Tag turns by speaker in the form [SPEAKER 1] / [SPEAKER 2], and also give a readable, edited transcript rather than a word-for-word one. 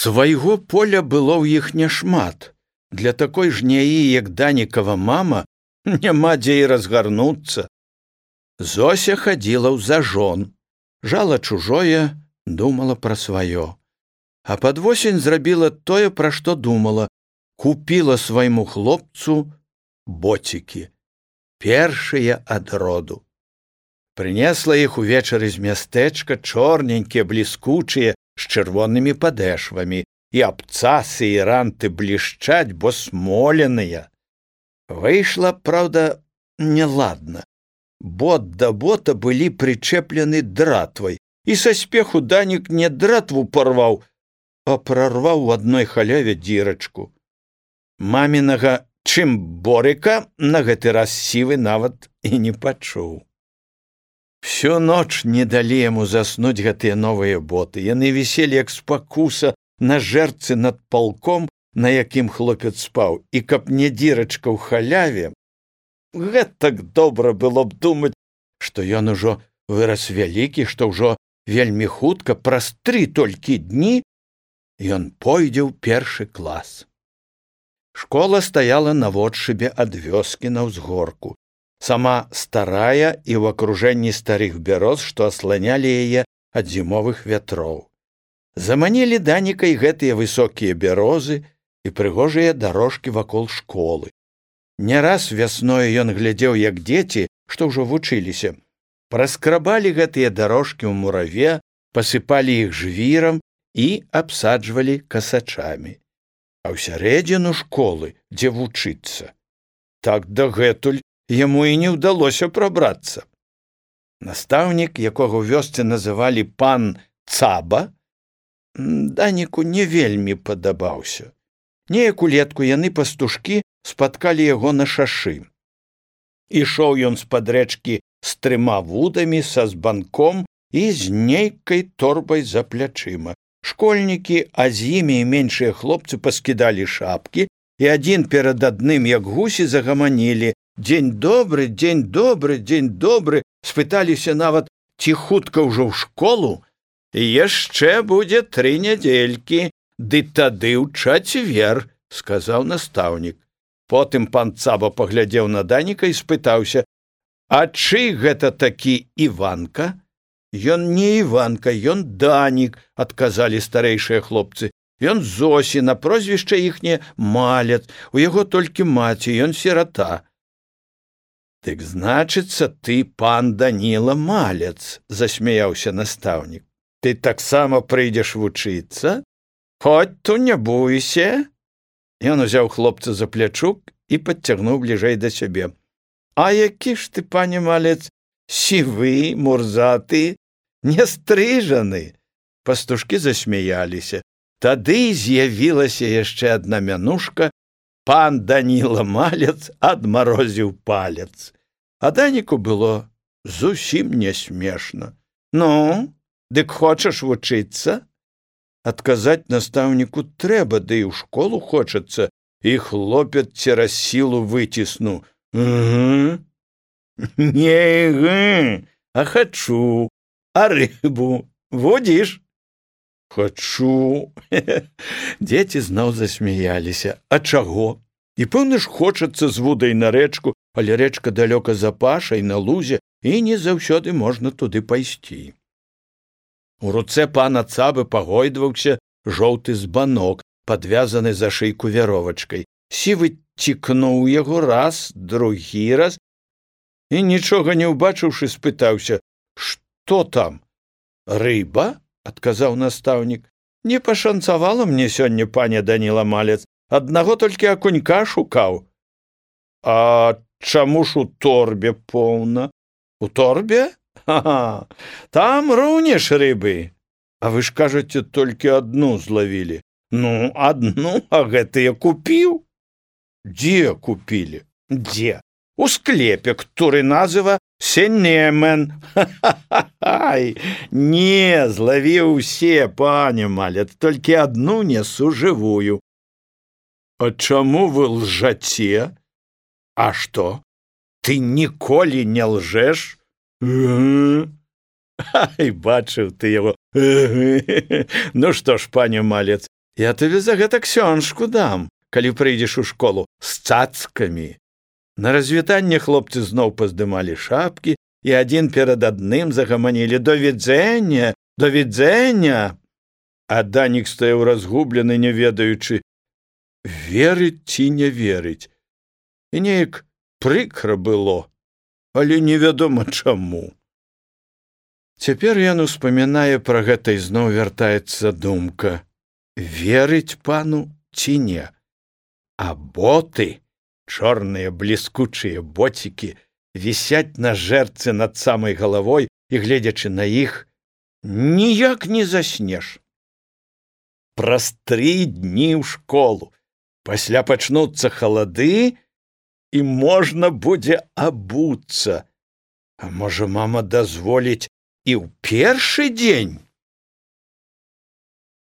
[SPEAKER 1] Свайго поля было ў іх няшмат. Для такой жняі, як Данікава мама, няма дзе і разгарнуцца. Зося хадзіла ў зажон, жала чужое, думала пра сваё. А пад восень зрабіла тое, пра што думала, купіла свайму хлопцу боцікі, першыя ад роду. Прынесла іх увечары з мястэчка, чорненькія, бліскучыя, з чырвонымі падэшвамі, і абцасы і ранты блішчаць, бо смоленыя. Выйшла, праўда, неладна. Бот да бота былі прычэплены дратвай, і са спеху Данік не дратву парваў, а прарваў у адной халяве дзірачку. Мамінага чымборыка на гэты раз сівы нават і не пачуў. Всю ноч не далі яму заснуць гэтыя новыя боты. Яны віселі як спакуса на жэрцы над палком, на якім хлопец спаў, і каб не дзірачка ў халяве, гэтак добра было б думаць, што ён ужо вырас вялікі, што ўжо вельмі хутка, праз 3 толькі дні, ён пойдзе ў першы клас. Школа стаяла наводшыбе ад вёскі на ўзгорку. Сама старая і ў акружэнні старых бяроз, што асланялі яе ад зімовых вятроў. Заманілі Даніка і гэтыя высокія бярозы і прыгожыя дарожкі вакол школы. Не раз вясною ён глядзеў, як дзеці, што ўжо вучыліся, праскрабалі гэтыя дарожкі ў мураве, пасыпалі іх жвірам і абсаджвалі касачамі. А ў сярэдзіну школы, дзе вучыцца, так дагэтуль яму і не ўдалося прабрацца. Настаўнік, якога ў вёсцы называлі пан Цаба, Даніку не вельмі падабаўся. Неяк улетку яны пастушкі спаткалі яго на шашы. Ішоў ён з-пад рэчкі з 3 вудамі, са збанком і з нейкай торбай за плячыма. Школьнікі, а з імі і меншыя хлопцы паскідалі шапкі, і адзін перад адным, як гусі, загаманілі: «Дзень добры, дзень добры, дзень добры», спыталіся нават, ці хутка ўжо ў школу. «Яшчэ будзе 3 нядзелькі, ды тады ў чацвер», сказаў настаўнік. Потым пан Цаба паглядзеў на Даніка і спытаўся: «А чый гэта такі Іванка?» «Ён не Іванка, ён Данік», адказалі старэйшыя хлопцы. «Ён Зосі, на прозвішча іхняе Малец, у яго толькі маці, ён сірата». «Дык значыцца, ты пан Даніла Малец», засмяяўся настаўнік. «Ты таксама прыйдзеш вучыцца? Хоць то не бойся». Ён узяў хлопца за плячук і падцягнуў бліжэй да сябе. «А які ж ты, пане Малец, сівы, мурзаты, не стрыжаны?» Пастушкі засмяяліся. Тады з'явілася яшчэ адна мянушка: пан Даніла Малец адмарозіў палец. А Даніку было зусім не смешна. «Ну, дык хочаш вучыцца?» Адказаць настаўніку трэба, ды і ў школу хочацца, і хлопец цераз сілу выціснуў: «Угу, не гы, а хачу, а рыбу водзіш?» «Хачу». Дзеці зноў засмяяліся. «А чаго? І пэўна ж хочацца з вудай на рэчку, але рэчка далёка за пашай, на лузе, і не заўсёды можна туды пайсці». У руцэ пана Цабы пагойдваўся жоўты збанок, падвязаны за шыйку вяровачкай. Сівы цікнуў яго раз, другі раз, і, нічога не ўбачыўшы, спытаўся: «Што там?» «Рыба?» — адказаў настаўнік. «Не пашанцавала мне сёння, пане Даніла Малец, аднаго толькі акунька шукаў». «А чаму ж у торбе поўна?» «У торбе? Ага, там руніш рыбы». «А вы ж кажаце, толькі адну злавілі». «Ну, адну, а гэтыя купіў». «Дзе купілі?» «Дзе? У склепе, который называ Сенемен». «Ха-ха-ха-ай! Не, злавіў усе, пане Малец, толькі адну несу жывую». «А чаму вы лжаце?» «А што? Ты ніколі не лжэш?» «Ай, бачыў ты яго. Ну што ж, пане Малец, Я табе за гэта ксёнжку дам, калі прыйдзеш у школу з цацкамі. На развітанне хлопцы зноў паздымалі шапкі і адзін перад адным загаманілі: «До відзення, до відзення!» А Данік стаяў разгублены, не ведаючы, верыць ці не верыць. І неяк прыкра было, але невядома чаму. Цяпер ён успамінае пра гэта і зноў вяртаецца думка: верыць пану ці не? А боты, чорныя бліскучыя боцікі, вісяць на жэрцы над самай галавой, і, гледзячы на іх, ніяк не заснеш. Праз 3 дні ў школу, пасля пачнуцца халады, і можна будзе абуцца. А можа, мама дазволіць і ў першы дзень?